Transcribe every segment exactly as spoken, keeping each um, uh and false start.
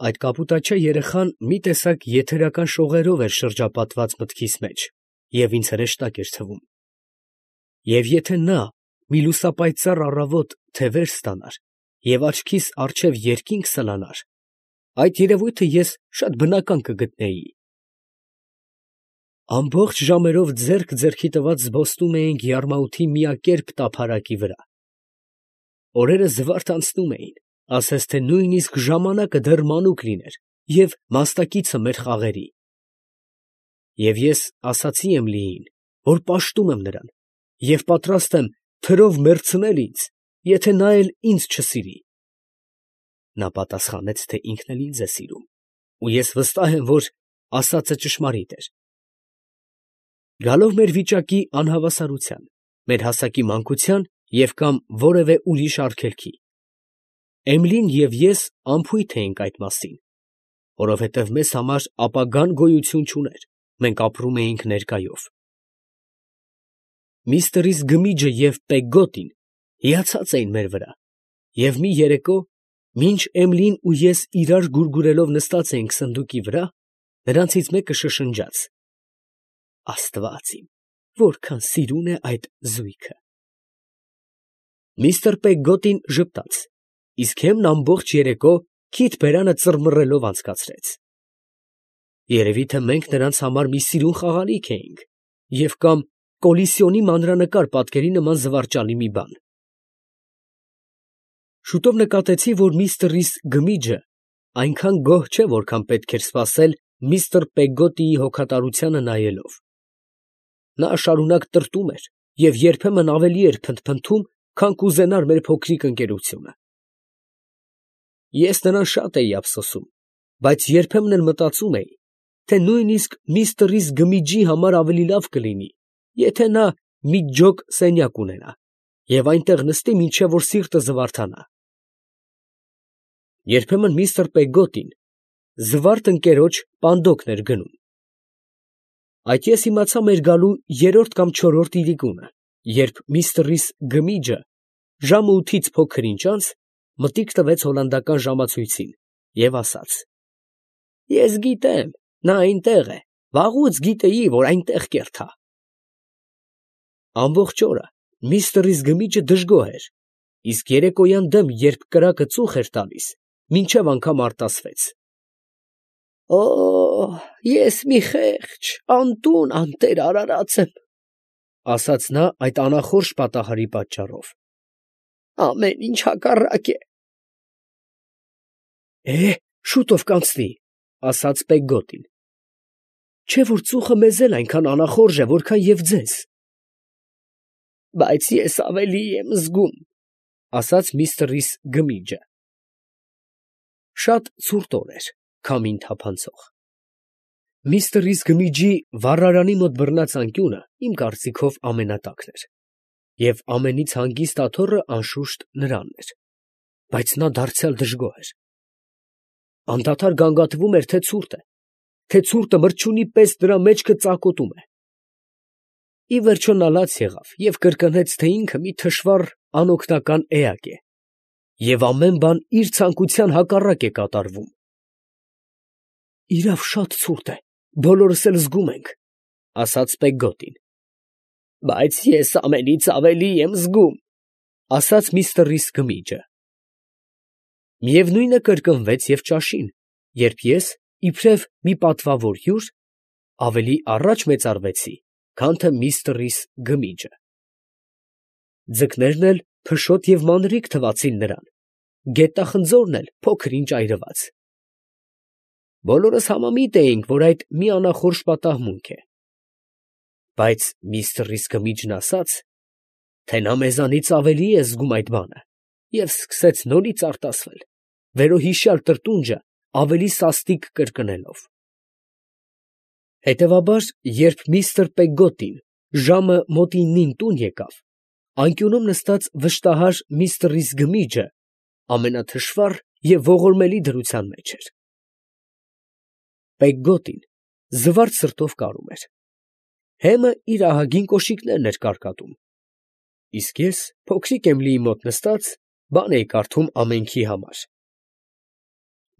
Այդ կապուտաչյա երեխան մի տեսակ եթերական շողերով էր շրջապատված մտքիս մեջ և ինձ հրեշտակ էր թվում. և եթե նա մի լուսապայծառ առավոտ թևեր ստանար և աչքիս առջև երկինք սլանար, այդ երևույթը ես շատ բնական կգտնեի։ Ամբողջ ժամերով ձեռք ձեռքի տված զբոսնում էինք Յարմաութի միակերպ տափարակի վրա. օրերը զվարթ անցնում էին, ասես թե նույնիսկ ժամանակը դեռ մանուկ լիներ և մասնակիցը մեր խաղերի։ Եվ ես ասացի Էմիլիին, որ պաշտում եմ նրան և պատրաստ եմ թրով մեռցնել ինձ, եթե նա էլ ինձ չսիրի։ Նա պատասխանեց, թե ինքն էլ ինձ է սիրում, ու ես վստահ եմ, որ ասածը ճշմարիտ էր։ Գալով մեր վիճակի անհավասարության, մեր հասակի մանկության և կամ որևէ ուրիշ արգելքի, Էմիլին և ես անփույթ էինք այդ մասին, որովհետև մեզ համար ապագան գոյություն չուներ, մենք ապրում էինք ներկայով։ Միստր Գմիջը և Պեգգոտին հիացած էին մեր վրա, և մի երեկո, մինչ Էմիլին ու ես իրար գուրգուրելով նստած էինք սնդուկի վրա, նրանցից մեկը շշնջաց. «Աստված իմ, որքան սիրուն է այդ զույգը»։ Միստր Պեգգոտին ժպտաց, իսկ Էմն ամբողջ երեկո քիթ բերանը ծռմռելով անցկացրեց։ Երևի թե մենք նրանց համար մի սիրուն խաղալիք էինք և կամ Կոլիսիոնի մանրանկար պատկերի նման զվարճալի մի բան։ Շուտով նկատեցի, որ միստր Գմիջը այնքան գոհ չէ, որքան պետք էր սպասել միստր Պեգգոտիի հոգատարությանը նայելով։ Նա շարունակ տրտում էր և երբեմն ավելի էր փնթփնթում, քան կուզենար մեր փոքրիկ ընկերությունը։ Ես նրան շատ էի ափսոսում, բայց երբեմն էլ մտածում էի, թե նույնիսկ միստր Գմիջի համար ավելի լավ կլինի, եթե նա մի ջոկ սենյակ ունենա և այնտեղ նստի, մինչև որ սիրտը զվարթանա։ Երբեմն միստր Պեգգոտին զվարթ ընկերոջ պանդոկն էր գնում։ Այդ ես իմացա մեր գալու երրորդ կամ չորրորդ իրիկունը, երբ միստր Գմիջը ժամը ութից փոքր ինչ անց մտիկ տվեց հոլանդական ժամացույցին և ասաց. «Ես գիտեմ, նա այնտեղ է, վաղուց գիտեի, որ այնտեղ կերթա»։ Ամբողջ օրը միստր Գմիջը դժգոհ էր, իսկ երեկոյան դեմ, երբ կրակը ծուխ էր տալիս, մինչև անգամ արտասվեց։ «Օ՜, ես մի խեղճ, անտուն, անտեր արարած եմ», ֊ ասաց նա այդ անախորժ պատահարի պատճառով։ «Ամեն ինչ հակառակ է»։ «Է, շուտով կանցնի», ֊ ասաց Պեգգոտին։ «Չէ՞ որ ծուխը մեզ էլ այնքան անախորժ է, որքան և ձեզ»։ «Բայց ես ավելի եմ զգում», ֊ ասաց միստր Գմիջը։ Շատ ցուրտ օր էր, քամին թափանցող։ Միստր Գմիջի վառարանի մոտ բռնած անկյունը իմ կարծիքով ամենատակն էր, և ամենից հանգիստ աթոռը անշուշտ նրանն էր, բայց նա դարձյալ դժգոհ էր։ Անդադար գանգատվում էր, թե ցուրտ է, թե ցուրտը մրջյունի պես նրա մեջքը ծակոտում է։ Ի վերջո նա լաց եղավ և կրկնեց, թե ինքը մի թշվառ անօգնական էակ է, և ամեն բան իր ցանկության հակառակ է կատարվում։ «Իրավ շատ ցուրտ է, բոլորս էլ զգում ենք», ֊ ասաց Պեգգոտին։ «Բայց ես ամենից ավելի եմ զգում», ֊ ասաց միստր Գմիջը։ Միևնույնը կրկնվեց և ճաշին, երբ ես, իբրև մի պատվավոր հյուր, ավելի առաջ մեծարվեցի, քան թե միստր Գմիջը։ Ձկներն էլ փշոտ և մանրիկ թվացին նրան, գետախնձորն էլ փոքր ինչ այրված։ Բոլորս համամիտ էինք, որ այդ մի անախորժ պատահմունք է։ Բայց միստր Գմիջն ասաց, թե նա մեզանից ավելի է զգում այդ բանը, և սկսեց նորից արտասվել, վերոհիշյալ տրտունջը ավելի սաստիկ կրկնելով։ Հետևաբար, երբ միստր Պեգգոտին ժամը մոտ իննին տուն եկավ, անկյունում նստած վշտահար միստր Գմիջը ամենաթշվառ և ողորմելի դրության մեջ էր։ Պեգգոտին զվարթ սրտով կարում էր։ Հեմը իր ահագին կոշիկներն էր կարկատում, իսկ ես, փոքրիկ Էմիլիի մոտ նստած, բան էի կարդում ամենքի համար։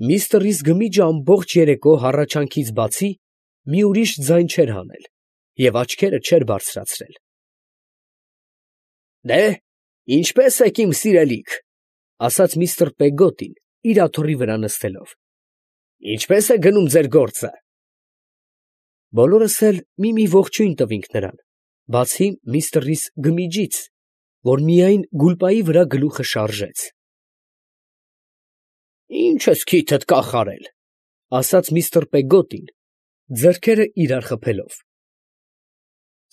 Միստր Ռիս Գմիջը ամբողջ երեկո հառաչանքից բացի մի ուրիշ ձայն չէր հանել և աչքերը չէր բարձրացրել։ «Դե՛, ինչպե՞ս եք, իմ սիրելիք, ֊ ասաց միստր Պեգոտին, իր աթոռի վրա նստելով. ֊ ինչպե՞ս է գնում ձեր գործը»։ Բոլորս էլ մի֊մի ողջույն տվինք նրան, բացի միստր Ռիս Գմիջից, որ միայն գուլպայի վրա գլուխը շարժեց։ ֊ Ի՞նչ ես քիթդ կախարել, ֊ ասաց միստր Պեգոտին, ձեռքերը իրար խփելով։ ֊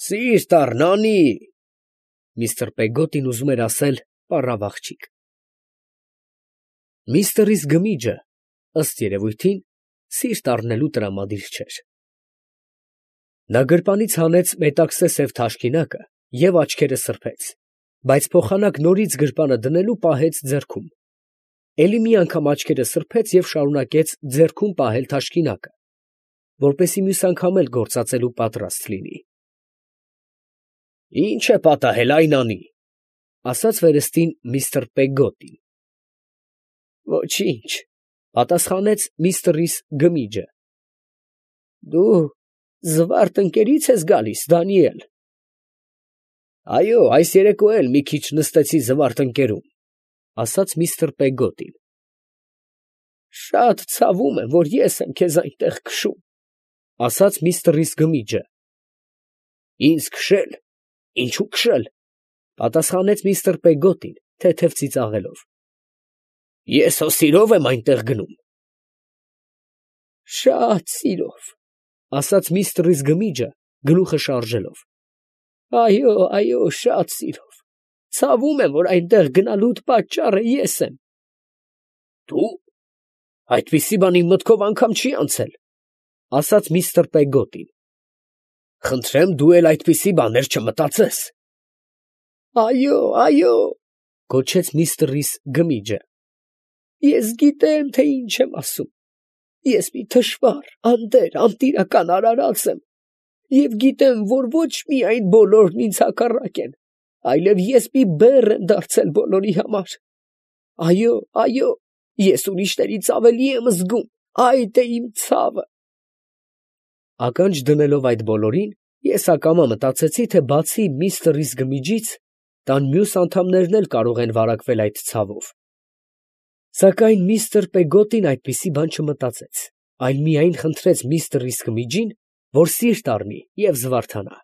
Սիրտ առ, Նանի, ֊ միստր Պեգոտին ուզում էր ասել պառավ աղջիկ։ Միստր Ռիս Գմիջը, ըստ երևույթին, սիրտ առնելու տրամադիր չէր։ Նա գրպանից հանեց մետաքսե սև թաշկինակը և աչքերը սրբեց, բայց փոխանակ նորից գրպանը դնելու պահեց ձեռքում, էլի մի անգամ աչքերը սրբեց և շարունակեց ձեռքում պահել թաշկինակը, որպեսզի մյուս անգամ էլ գործածելու պատրաստ լինի։ ֊ Ի՞նչ է պատահել, ա՛յ Նանի, ֊ ասաց վերստին միստր Պեգոտին։ ֊ Ոչինչ, ֊ պատասխանեց միստր Ռիս Գմիջը։ ֊ Դու զվարթ ընկերի՞ց ես գալիս, Դանիել։ ֊ Այո, այս երեկո էլ մի քիչ նստեցի զվարթ ընկերում, ֊ ասաց միստր Պեգոտին։ ֊ Շատ ցավում եմ, որ ես եմ քեզ այնտեղ քշում, ֊ ասաց միստր Ռիս Գմիջը։ ֊ Ինձ քշել, ինչո՞ւ քշել, ֊ պատասխանեց միստր Պեգոտին, թեթև ծիծաղելով։ ֊ Ես հո սիրով եմ այնտեղ գնում։ ֊ Շատ սիրով, ֊ ասաց միստր Ռիս Գմիջը, գլուխը շարժելով։ ֊ Այո, այո, շատ սիրով, ցավում եմ, որ այնտեղ գնալուդ պատճառը ես եմ։ ֊ Դու… այդպիսի բան իմ մտքով անգամ չի անցել, ֊ ասաց միստր Պեգոտին։ ֊ Խնդրեմ, դու էլ այդպիսի բաներ չմտածես։ ֊ Այո, այո, ֊ գոչեց միստր Ռիս Գմիջը։ ֊ Ես գիտեմ, թե ինչ եմ ասում. ես մի թշվառ, անտեր, անտիրական արարած եմ, և գիտեմ, որ ոչ միայն բոլորն ինձ հակառակ են, այլև ես մի բեռ եմ դարձել բոլորի համար։ Այո, այո, ես ուրիշներից ավելի եմ զգում, այդ է իմ ցավը։ Ականջ դնելով այդ բոլորին, ես ակամա մտածեցի, թե բացի միստր Ռիս Գմիջից, տան մյուս անդամներն էլ կարող են վարակվել այդ ցավով։ Սակայն միստր Պեգոտին այդպիսի բան չմտածեց, այլ միայն խնդրեց միստր Ռիս Գմիջին, որ սիրտ առնի և զվարթանա։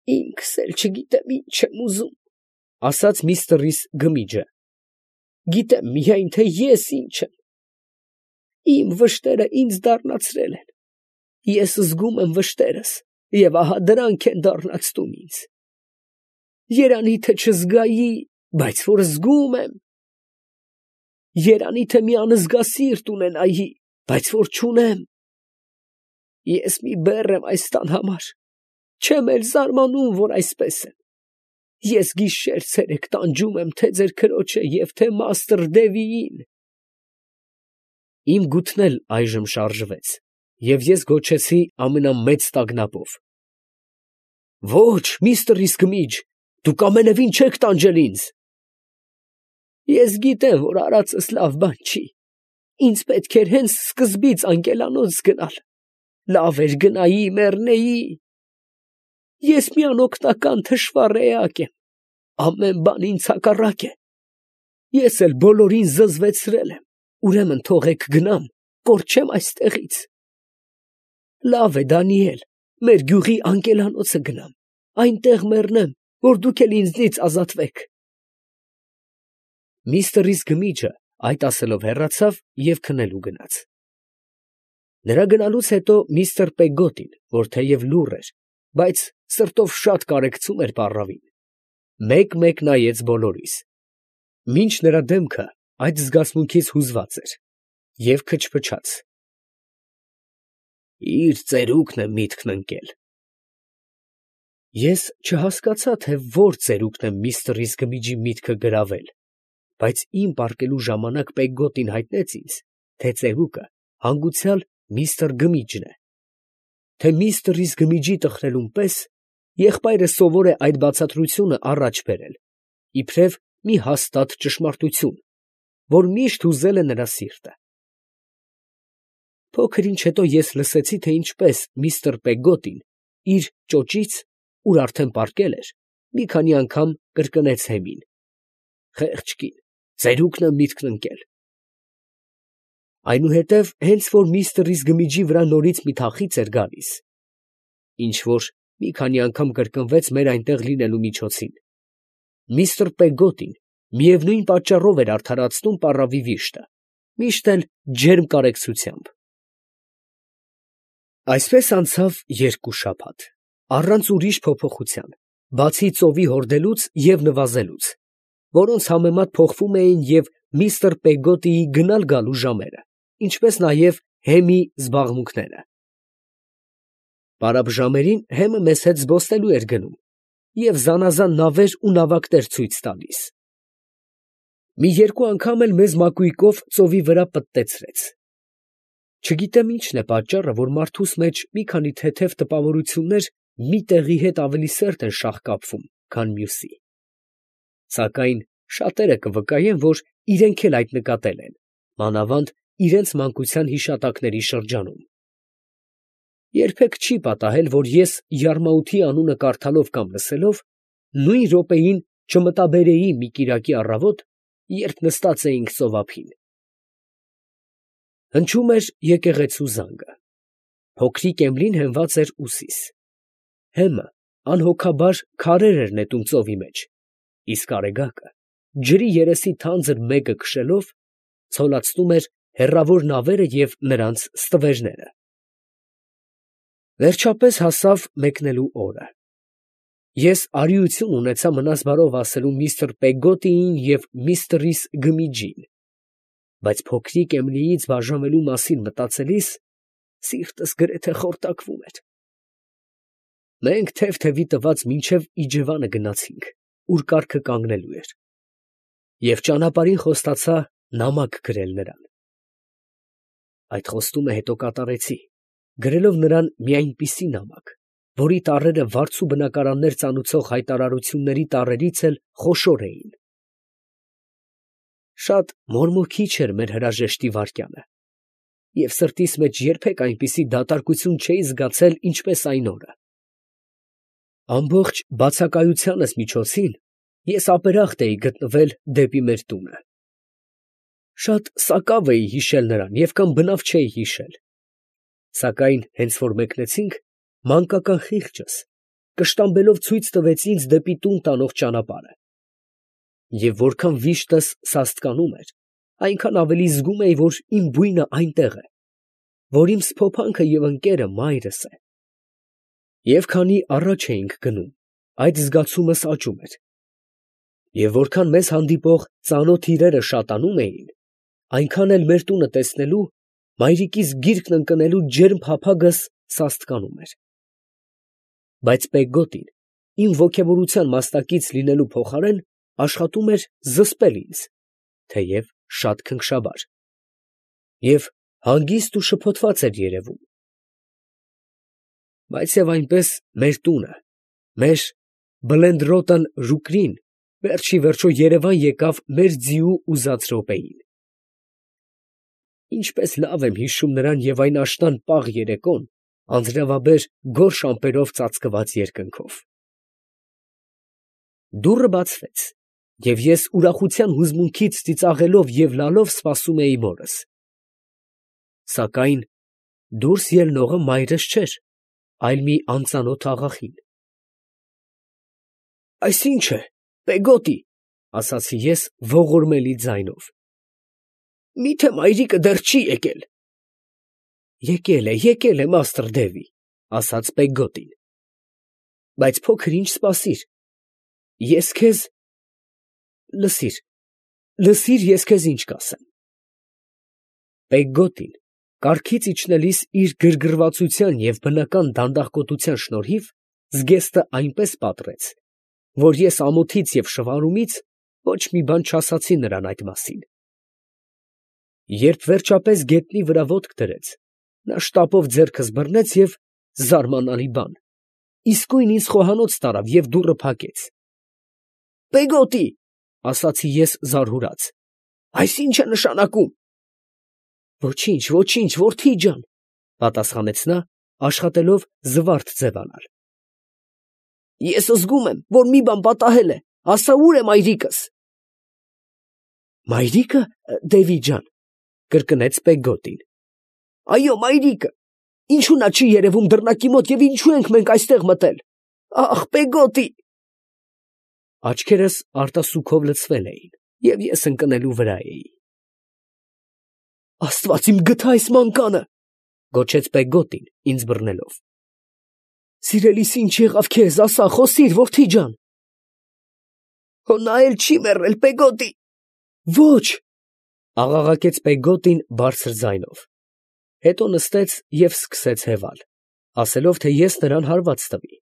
֊ Ինքս էլ չգիտեմ ինչ եմ ուզում, ֊ ասաց միստր Ռիս Գմիջը։ ֊ Գիտեմ միայն, թե ես ինչ եմ. իմ վշտերը ինձ դառնացրել են, ես զգում եմ վշտերս, և ահա դրանք են դառնացնում ինձ։ Երանի թե չզգայի, բայց որ զգում եմ. երանի թե մի անզգասիրտ ունենայի, բայց որ չունեմ։ Ես մի բեռ եմ այս տան համար, չեմ էլ զարմանում, որ այսպես եմ։ Ես գիշեր֊ցերեկ տանջում եմ թե ձեր քրոջը և թե մաստր Դևիին։ Իմ գութն էլ այժմ շարժվեց, և ես գոչեցի ամենամեծ տագնապով. ֊ Ո՛չ, միստր Ռիս Գմիջ, դուք ամենևին չեք տանջել ինձ։ ֊ Ես գիտեմ, որ արածս լավ բան չի, ինձ պետք էր հենց սկզբից անկելանոց գնալ, լավ էր գնայի, մեռնեի։ Ես մի անօգնական թշվառ էակ եմ, ամեն բան ինձ հակառակ է, ես էլ բոլորին զզվեցրել եմ, ուրեմն թողեք գնամ, կորչեմ այստեղից։ Լավ է, Դանիել, մեր գյուղի անկելանոցը գնամ, այնտեղ մեռնեմ, որ դուք էլ ինձնից ազատվեք։ Միստր Ռիս Գմիջը այդ ասելով հեռացավ և քնելու գնաց։ Նրա գնալուց հետո միստր Պեգոտին, որ թեև լուռ էր, բայց սրտով շատ կարեկցում էր պառավին, մեկ֊մեկ նայեց բոլորիս, մինչ նրա դեմքը այդ զգացմունքից հուզված էր, և քչփչաց. իր ծերուկն է միտքն ընկել։ Ես չհասկացա, թե ո՞ր ծերուկն է միստր Ռիս Գմիջի միտքը գրավել, բայց իմ պառկելու ժամանակ Պեգոտին հայտնեց ինձ, թե ծերուկը հանգուցյալ միստր Գմիջն է, թե միստր Ռիս Գմիջի տխրելուն պես եղբայրը սովոր է այդ բացատրությունը առաջ բերել, իբրև մի հաստատ ճշմարտություն, որ միշտ հուզել է նրա սիրտը։ Փոքր ինչ հետո ես լսեցի, թե ինչպես միստր Պեգոտին իր ճոճից, ուր արդեն պառկել էր, մի քանի անգամ կրկնեց հեմին. «Խեղճ կին, ծերուկն է միտքն ընկել»։ Այնուհետև հենց որ միստր Իզգմիջի վրա նորից մի թախիծ էր գալիս, ինչ որ մի քանի անգամ կրկնվեց մեր այնտեղ լինելու միջոցին, միստր Պեգոտին միևնույն պատճառով էր արդարացնում պառավի վիշտը, միշտ էլ ջերմ կարեկցությամբ։ Այսպես անցավ երկու շաբաթ, առանց ուրիշ փոփոխության, բացի ծովի հորդելուց և նվազելուց, որոնց համեմատ փոխվում էին և միստր Պեգոտիի գնալ֊գալու ժամերը, ինչպես նաև հեմի զբաղմունքները։ Պարապ ժամերին հեմը մեզ հետ զբոսնելու էր գնում և զանազան նավեր ու նավակներ ցույց տալիս։ Մի երկու անգամ էլ մեզ մակույկով ծովի վրա պտտեցրեց։ Չգիտեմ ինչն է պատճառը, որ մարդուս մեջ մի քանի թեթև տպավորություններ մի տեղի հետ ավելի սերտ են շաղկապվում, քան մյուսի, սակայն շատերը կվկայեն, որ իրանք էլ այդ նկատել են, մանավանդ իրենց մանկության հիշատակների շրջանում։ Երբեք չի պատահել, որ ես Յարմաութի անունը կարդալով կամ լսելով, նույն րոպեին չմտաբերեի մի կիրակի առավոտ, երբ նստած էինք ծովափին։ Հնչում էր եկեղեցու զանգը։ Փոքրիկ Էմլին հենված էր ուսիս։ Հեմը անհոգաբար քարեր էր նետում ծովի մեջ, իսկ Արեգակը, ջրի երեսի թանձր մեգը քշելով, ցոլացնում էր հեռավոր նավերը և նրանց ստվերները։ Վերջապես հասավ մեկնելու օրը։ Ես արիություն ունեցա մնաս բարով ասելու միստր Պեգոտիին և միստր Իզգմիջին, բայց փոքրիկ Էմլիից բաժանվելու մասին մտածելիս սիրտս գրեթե խորտակվում էր։ Մենք թև֊թևի տված մինչև իջևանը գնացինք, ուր կառքը կանգնելու էր, և ճանապարհին խոստացա նամակ գրել նրան։ Այդ խոստումը հետո կատարեցի, գրելով նրան մի այնպիսի նամակ, որի տառերը վարձու բնակարաններ ծանուցող հայտարարությունների տառերից էլ խոշոր էին։ Շատ մորմոքիչ էր մեր հրաժեշտի վայրկյանը, և սրտիս մեջ երբեք այնպիսի դատարկություն չէի զգացել, ինչպես այն օրը։ Ամբողջ բացակայությանս միջոցին ես ապերախտ էի գտնվել դեպի մեր տունը։ Շատ սակավ էի հիշել նրան և կամ բնավ չէի հիշել, սակայն հենց որ մեկնեցինք, մանկական խիղճս կշտամբելով ցույց տվեց ինձ դեպի տուն տանող ճանապարհը, և որքան վիշտս սաստկանում էր, այնքան ավելի զգում էի, որ իմ բույնը այնտեղ է, որ իմ սփոփանքը և ընկերը մայրս է։ Եվ քանի առաջ էինք գնում, այդ զգացումս աճում էր, և որքան մեզ հանդիպող ծանոթ իրերը շատանում էին, այնքան էլ մեր տունը տեսնելու, մայրիկիս գիրկն ընկնելու ջերմ փափագս սաստկանում էր։ Բայց Պեգոտին իմ ոգևորության մասնակից լինելու փոխարեն աշխատում էր զսպել ինձ, թեև շատ քնքշաբար, և հանգիստ ու շփոթված էր երևում։ Բայց և այնպես մեր տունը, մեր Բլենդրոտն Ռուկրին վերջիվերջո երևան եկավ մեր ձիու ուզած րոպեին։ Ինչպես լավ եմ հիշում նրան և այն աշնան պաղ երեկոն, անձրևաբեր գորշ ամպերով ծածկված երկնքով։ Դուռը բացվեց, և ես ուրախության հուզմունքից ծիծաղելով և լալով սպասում էի մորս։ Սակայն դուրս ելնողը մայրս չէր, այլ մի անծանոթ աղախին։ ֊ Այս ի՞նչ է, Պեգոտի, ֊ ասացի ես ողորմելի ձայնով. մի՞թե մայրիկը դեռ չի եկել։ ֊ Եկել է, եկել է, մաստր Դևի, ֊ ասաց Պեգոտին, ֊ բայց փոքր ինչ սպասիր, ես քեզ… Լսիր, լսիր, ես քեզ ինչ կասեմ։ Պեգոտին կառքից իջնելիս իր գրգռվածության և բնական դանդաղկոտության շնորհիվ զգեստը այնպես պատռեց, որ ես ամոթից և շվարումից ոչ մի բան չասացի նրան այդ մասին։ Երբ վերջապես գետնի վրա ոտք դրեց, նա շտապով ձեռքս բռնեց և… զարմանալի բան… իսկույն ինձ խոհանոց տարավ և դուռը փակեց։ ֊ Պեգոտի, ֊ ասացի ես զարհուրած, Այս ի՞նչ է նշանակում։ Ոչինչ, ոչինչ, որդի ջան, պատասխանեց նա, աշխատելով զվարթ ձևանալ։ Ես զգում եմ, որ մի բան պատահել է, ասա ուր է մայրիկս։ Մայրիկը, Դևի ջան, կրկնեց Պեգոտին։ Այո, մայրիկը։ Ինչու նա չի երևում դռնակի մոտ և ինչու ենք մենք այստեղ մտել։ Ախ, Պեգոտի։ Աչքերս արտասուքով լցվել էին, և ես ընկնելու վրա էի։ Աստված իմ գթա այս մանկանը, գոչեց Պեգոտին, ինձ բռնելով։ Սիրելիս, ինչ եղավ քեզ, ասա, խոսիր, որդի ջան։ Հո նա էլ չի մեռել, Պեգոտի։ Ոչ, աղաղակեց Պեգոտին բարձր ձայնով։ Հետո նստեց և սկսեց հևալ, ասելով, թե ես նրան հարված տվի։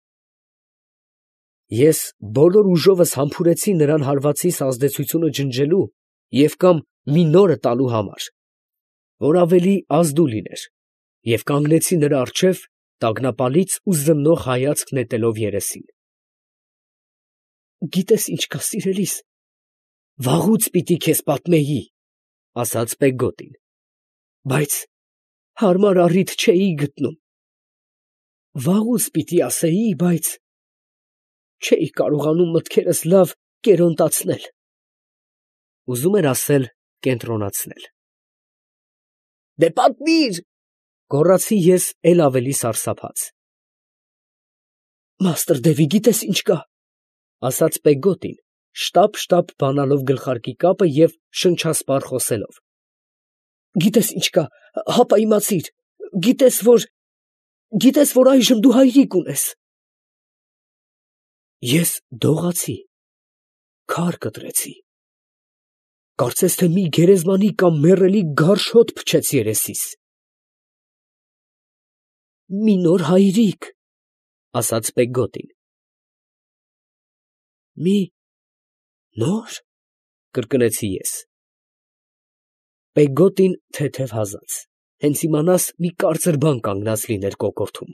Ես բոլոր ուժովս համբուրեցի նրան հարվածիս ազդեցությունը ջնջելու և կամ մի նորը տալու համար, որ ավելի ազդու լիներ, և կանգնեցի նրա առջև, տագնապալից ու զննող հայացք նետելով երեսին։ Գիտես ինչ կա, սիրելիս, վաղուց պիտի քեզ պատմեի, ասաց Պեգոտին, բայց հարմար առիթ չէի գտնում։ Վաղուց պիտի ասեի, բայց չէի կարողանում մտքերս լավ կերոնտացնել։ Ուզում էր ասել կենտրոնացնել։ Դե պատմիր, գոռացի ես էլ ավելի սարսափած։ Մաստր Դևի, գիտես ինչ կա, ասաց Պեգոտին, շտապ-շտապ բանալով գլխարկի կապը և շնչասպառ խոսելով։ Գիտես ինչ կա, հապա իմացիր, գիտես, որ, գիտես, որ այժմ դու հայրիկ ունես։ Ես դողացի, քար կտրեցի, կարծես թե մի գերեզմանի կամ մեռելի գարշ հոտ փչեց երեսիս։ Մի նոր հայրիկ, ասաց Պեգոտին։ Մի նոր, կրկնեցի ես։ Պեգոտին թեթև հազաց, հենց իմանաս մի կարծր բան կանգնած լիներ կոկորդում,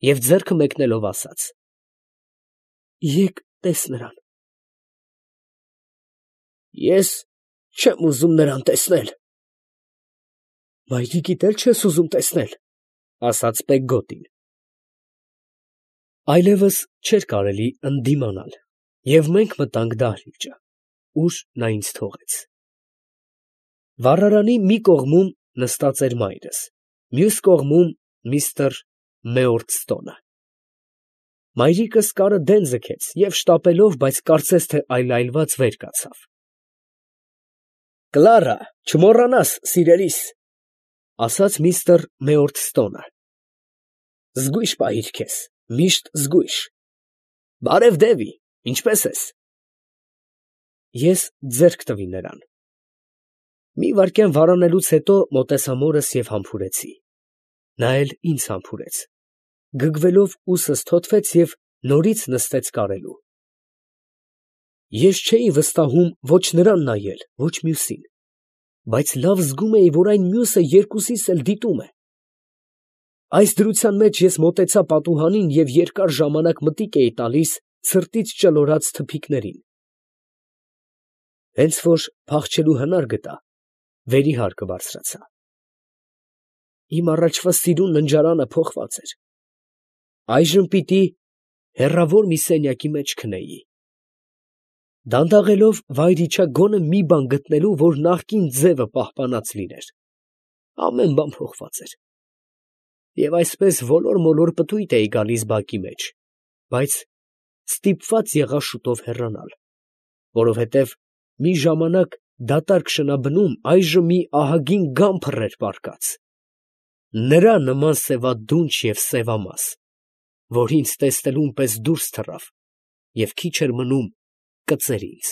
և ձեռքը մեկնելով ասաց. Եկ տես նրան։ Ես չեմ ուզում նրան տեսնել։ Մայրիկիդ էլ չես ուզում տեսնել, ասաց Պեգոտին։ Այլևս չէր կարելի ընդդիմանալ, և մենք մտանք դահլիճը, ուր նա ինձ թողեց։ Վառարանի մի կողմում նստած էր մայրս, մյուս կողմում միստր Մեորտստոնը։ Մայրիկս կարը դեն ձգեց և շտապելով, բայց կարծես թե այլայլված վեր կացավ։ Կլարա, չմոռանաս, սիրելիս, ասաց միստր Մեորտստոնը։ Զգույշ պահիր քեզ, միշտ զգույշ։ Բարև, Դևի, ինչպե՞ս ես։ Ես ձեռք տվի նրան։ Մի վայրկյան վարանելուց հետո մոտեցա մորս և համբուրեցի։ Նա էլ ինձ համբուրեց, գգվելով ուսս թոթվեց և նորից նստեց կարելու։ Ես չէի վստահում ոչ նրան նայել, ոչ մյուսին, բայց լավ զգում էի, որ այն մյուսը երկուսիս էլ դիտում է։ Այս դրության մեջ ես մոտեցա պատուհանին և երկար ժամանակ մտիկ էի տալիս ցրտից ճլորած թփիկներին։ Հենց որ փախչելու հնար գտա, վերի հարկը բարձրացա։ Իմ առաջվա սիրուն ննջարանը փոխված էր։ Այժմ պիտի հեռավոր մի սենյակի մեջ քնեի։ Դանդաղելով վայր իջա գոնե մի բան գտնելու, որ նախկին ձևը պահպանած լիներ։ Ամեն բան փոխված էր։ Եվ այսպես ոլոր-մոլոր պտույտ էի գալիս բակի մեջ, բայց ստիպված եղա շուտով հեռանալ, որովհետև մի ժամանակ դատարկ շնաբնում այժմ մի ահագին գամբր էր պառկած, նրա նման սևադունչ և սևամաս, որ ինձ տեսնելուն պես դուրս թռավ և քիչ էր մնում կծեր ինձ։